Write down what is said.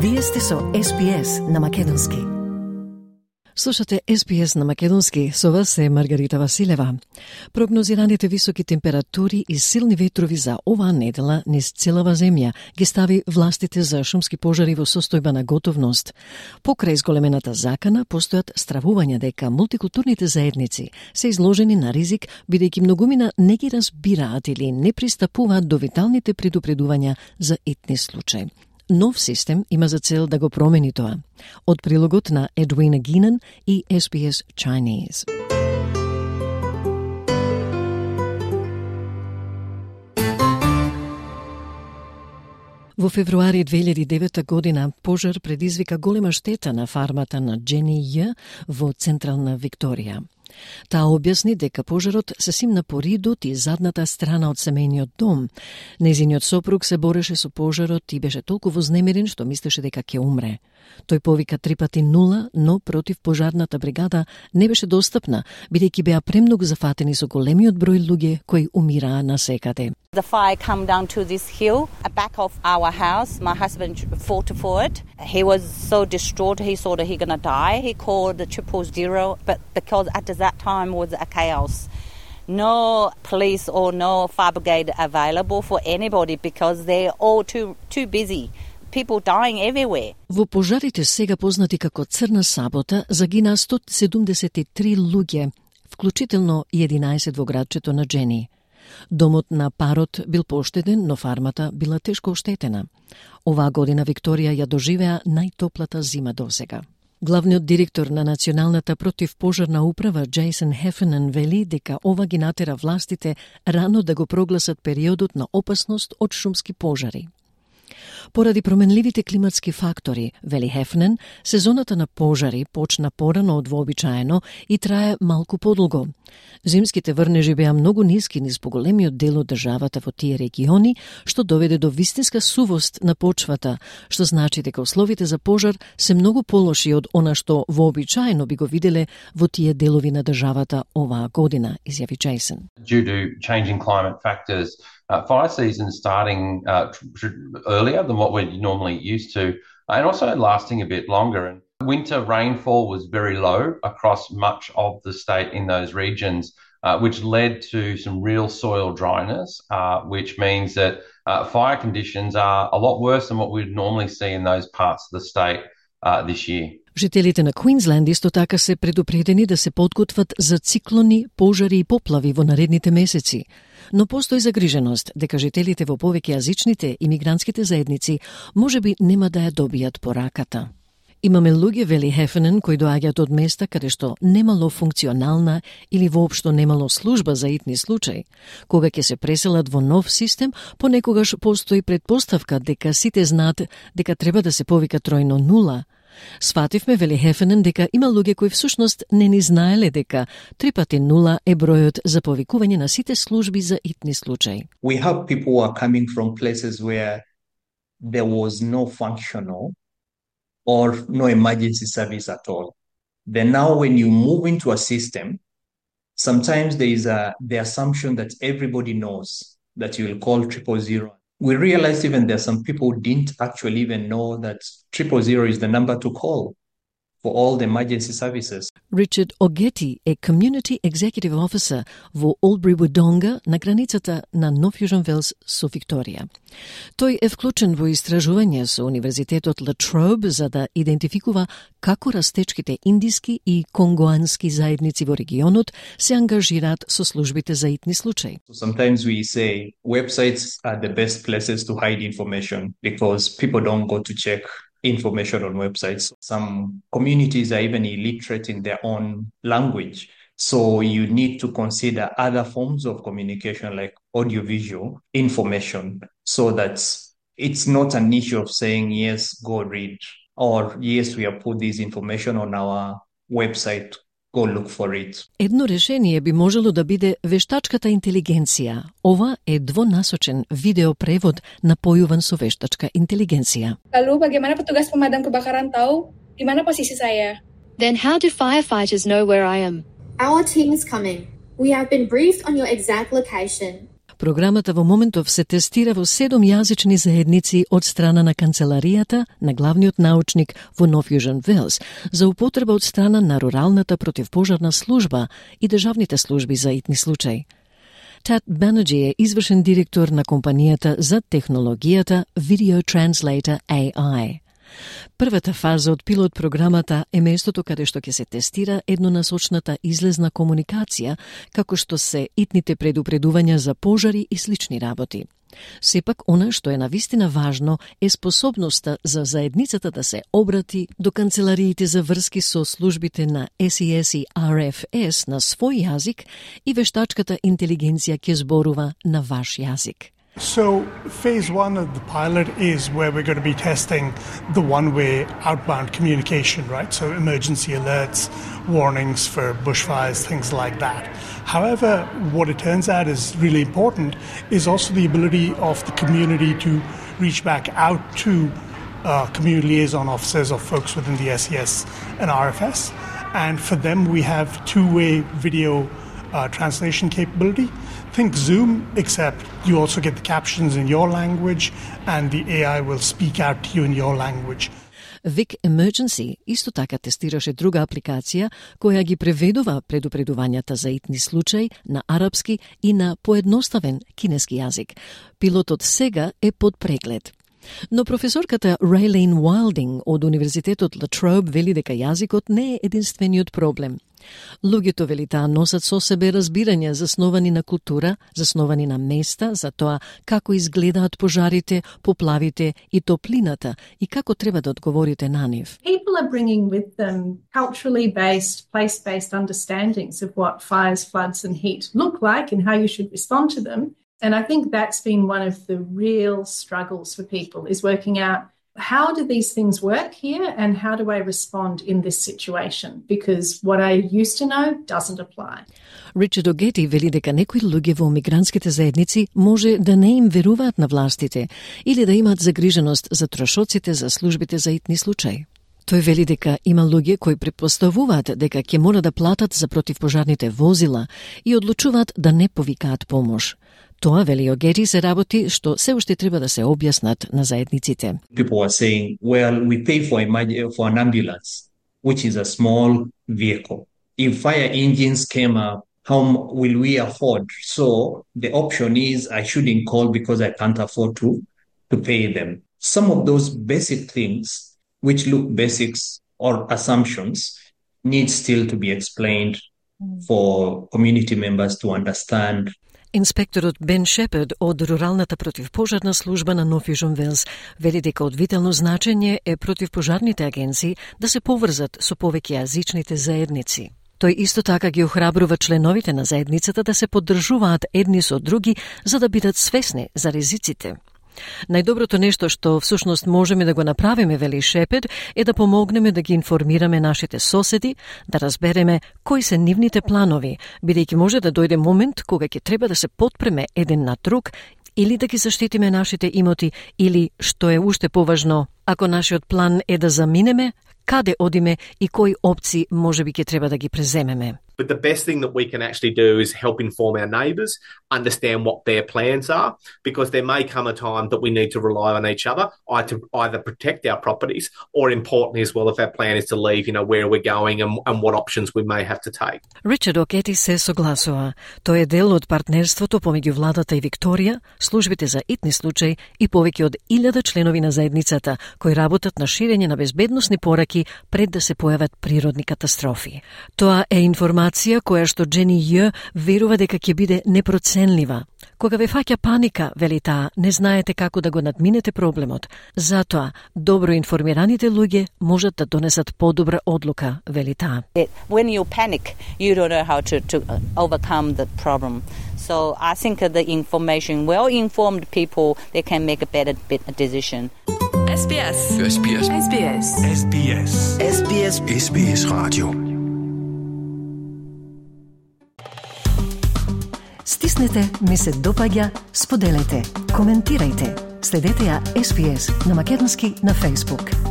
Вие сте со SPS на Македонски. Слушате SPS на Македонски, со вас е Маргарита Василева. Прогнозираните високи температури и силни ветрови за оваа недела низ целава земја ги стави властите за шумски пожари во состојба на готовност. Покрај зголемената закана, постојат стравувања дека мултикултурните заедници се изложени на ризик, бидејќи многумина не ги разбираат или не пристапуваат до виталните предупредувања за итни случаи. Нов систем има за цел да го промени тоа. Од прилогот на Edwina Geenan и SBS Chinese. Во февруари 2009 година пожар предизвика голема штета на фармата на Джени Ј во централна Викторија. Таа објасни дека пожарот се симна по ридот и задната страна од семејниот дом. Нејзиниот сопруг се бореше со пожарот и беше толку вознемирен што мислеше дека ќе умре. Тој повика 3 пати 0, но против пожарната бригада не беше достапна, бидејќи беа премногу зафатени со големиот број луѓе кои умираа насекаде. The fire come down to this hill, back of our house. My husband fought for it. He was so distraught, he thought he gonna die. He called the 000, but because at that time was a chaos. No police or no fire brigade available for anybody because they're all too busy. People dying everywhere. Во пожарите сега познати како Црна сабота загинаа 173 луѓе, вклучително и 11 во градчето на Джени. Домот на парот бил поштеден, но фармата била тешко оштетена. Оваа година Викторија ја доживеа најтоплата зима досега. Главниот директор на Националната противпожарна управа Джейсон Хефенен вели дека ова ги натера властите рано да го прогласат периодот на опасност од шумски пожари. Поради променливите климатски фактори, вели Хефнен, сезоната на пожари почна порано од вообичаено и трае малку подолго. Зимските врнежи беа многу ниски низ поголемиот дел од државата во тие региони, што доведе до вистинска сувост на почвата, што значи дека условите за пожар се многу полоши од она што вообичаено би го виделе во тие делови на државата оваа година, изјави Джейсон. Due to changing climate factors, fire season starting earlier than what we're normally used to, and also lasting a bit longer. And winter rainfall was very low across much of the state in those regions, which led to some real soil dryness, which means that fire conditions are a lot worse than what we'd normally see in those parts of the state this year. Жителите на Квинсленд исто така се предупредени да се подготват за циклони, пожари и поплави во наредните месеци. Но постои загриженост дека жителите во повеќе јазичните имигрантските заедници можеби нема да ја добијат пораката. Имаме луѓе, вели Хефенен, кои доаѓаат од места каде што немало функционална или воопшто немало служба за итни случаи. Кога ќе се преселат во нов систем, понекогаш постои предпоставка дека сите знаат дека треба да се повика тројно 0. Свативме, вели Хефенен, дека има луѓе кои всушност не ни знаеле дека 3 пати 0 е бројот за повикување на сите служби за итни случаи. We have people who are coming from places where there was no functional or no emergency service at all. Then now when you move into a system, sometimes there is the assumption that everybody knows that you will call 000. We realized even there are some people who didn't actually even know that 000 is the number to call for all the emergency services. Richard Ogeti е Community Executive Officer во Albury-Wodonga на границата на Нов Јужен Велс со Викторија. Тој е вклучен во истражување со Универзитетот La Trobe за да идентификува како растечките индиски и конгоански заедници во регионот се ангажираат со службите за итни случаи. Sometimes we say websites are the best places to hide information because people don't go to check information on websites. Some communities are even illiterate in their own language. So you need to consider other forms of communication like audiovisual information so that it's not an issue of saying, yes, go read, or yes, we have put this information on our website, go look for it. Едно решение би можело да биде вештачката интелигенција. Ова е двонасочен видеопревод напојуван со вештачка интелигенција. Lalu bagaimana petugas pemadam kebakaran tahu di mana posisi saya? Then how do firefighters know where I am? Our team is coming. We have been briefed on your exact location. Програмата во моментов се тестира во 7 јазични заедници од страна на канцеларијата на главниот научник во Нов Јужен Велс за употреба од страна на руралната противпожарна служба и државните служби за итни случаи. Tad Banerjee е извршен директор на компанијата за технологијата Video Translator AI. Првата фаза од пилот програмата е местото каде што ќе се тестира еднонасочната излезна комуникација, како што се итните предупредувања за пожари и слични работи. Сепак, она што е навистина важно е способноста за заедницата да се обрати до канцелариите за врски со службите на SES и RFS на свој јазик и вештачката интелигенција ќе зборува на ваш јазик. So phase 1 of the pilot is where we're going to be testing the one-way outbound communication, right? So emergency alerts, warnings for bushfires, things like that. However, what it turns out is really important is also the ability of the community to reach back out to community liaison officers or folks within the SES and RFS. And for them, we have two-way video translation capability. Think Zoom, except you also get the captions in your language and the AI will speak out to you in your language. Vic Emergency исто така тестираше друга апликација која ги преведува предупредувањата за итни случаи на арапски и на поедноставен кинески јазик. Пилотот сега е под преглед. Но професорката Raylene Wilding од Универзитетот La Trobe вели дека јазикот не е единствениот проблем. Луѓето, вели таа, носат со себе разбирања засновани на култура, засновани на места, за тоа како изгледаат пожарите, поплавите и топлината и како треба да одговорите на нив. People are bringing with them culturally based, place-based understandings of what fires, floods and heat look like and how you should respond to them. And I think that's been one of the real struggles for people, is working out how do these things work here and how do I respond in this situation? Because what I used to know doesn't apply. Ричард Огети вели дека некои луѓе во мигрантските заедници може да не им веруваат на властите или да имаат загриженост за трошоците за службите за итни случаи. Тој вели дека има луѓе кои претпоставуваат дека ќе мора да платат за противпожарните возила и одлучуваат да не повикаат помош. Тоа, вели Огети, се работи што се уште треба да се објаснат на заедниците. People are saying, well, we pay for an ambulance, which is a small vehicle. If fire engines came up, how will we afford? So the option is I shouldn't call because I can't afford to pay them. Some of those basic things, which look basics or assumptions, need still to be explained for community members to understand. Инспекторот Бен Шепард од Руралната противпожарна служба на Нов Јужен Велс вели дека од витално значење е противпожарните агенции да се поврзат со повеќе јазичните заедници. Тој исто така ги охрабрува членовите на заедницата да се поддржуваат едни со други за да бидат свесни за ризиците. Најдоброто нешто што всушност можеме да го направиме, вели Шепард, е да помогнеме да ги информираме нашите соседи, да разбереме кои се нивните планови, бидејќи може да дојде момент кога ќе треба да се потпреме еден на друг или да ги заштитиме нашите имоти, или, што е уште поважно, ако нашиот план е да заминеме, каде одиме и кои опции можеби ќе треба да ги преземеме. But the best thing that we can actually do is help inform our neighbours, understand what their plans are, because there may come a time that we need to rely on each other to either protect our properties or, importantly as well, if our plan is to leave, where we're going and what options we may have to take. Ричард Огети се согласува. Тој е дел од партнерството помеѓу владата и Викторија, службите за итни случаи и повеќе од 1000 членови на заедницата кои работат на ширење на безбедносни пораки пред да се појават природни катастрофи. Тоа е информација која што Джени Ј верува дека ќе биде непроценлива. Кога ве фаќа паника, вели таа, не знаете како да го надминете проблемот. Затоа, добро информираните луѓе можат да донесат подобра одлука, вели таа. When you panic, you don't know how to overcome the problem. So I think the information, well-informed people, they can make a better decision. SBS. SBS. SBS. SBS. SBS. SBS Radio. Стиснете, ми се допаѓа, споделете, коментирајте. Следете ја SBS на македонски на Facebook.